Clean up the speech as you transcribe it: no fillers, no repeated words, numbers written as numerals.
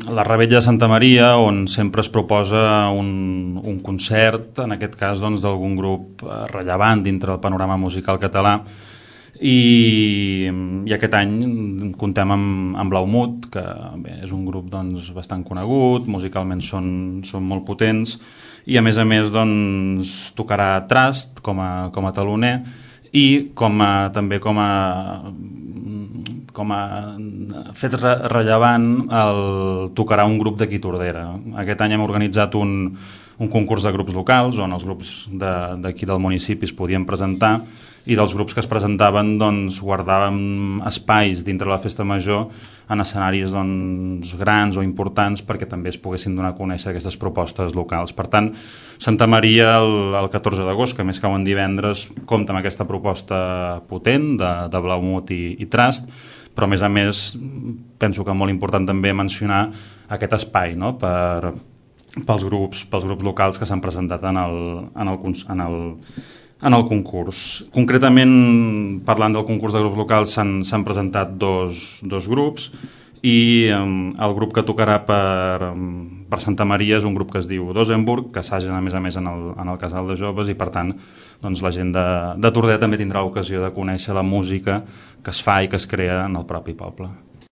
la Revetlla de Santa Maria, on sempre es proposa un concert, en aquest cas doncs, d'algun grup rellevant dintre del panorama musical català, i aquest any comptem amb Blaumut, que bé, és un grup doncs, bastant conegut, musicalment són molt potents, i a més doncs, tocarà Trust com a taloner, i també com a fet rellevant tocarà un grup d'aquí Tordera. Aquest any hem organitzat un concurs de grups locals on els grups d'aquí del municipi es podien presentar, i dels grups que es presentaven doncs, guardàvem espais dintre la festa major en escenaris doncs, grans o importants perquè també es poguessin donar a conèixer aquestes propostes locals. Per tant, Santa Maria el 14 d'agost, que més cau en divendres, compta amb aquesta proposta potent de Blaumut i Trust, però a més penso que molt important també mencionar aquest espai, no? pels grups locals que s'han presentat en el concurs. Concretament, parlant del concurs de grups locals, s'han presentat dos grups, i el grup que tocarà per Santa Maria és un grup que es diu Dosenburg, que assagen a més en el casal de joves, i per tant doncs, la gent de Tordera també tindrà l'ocasió de conèixer la música que es fa i que es crea en el propi poble.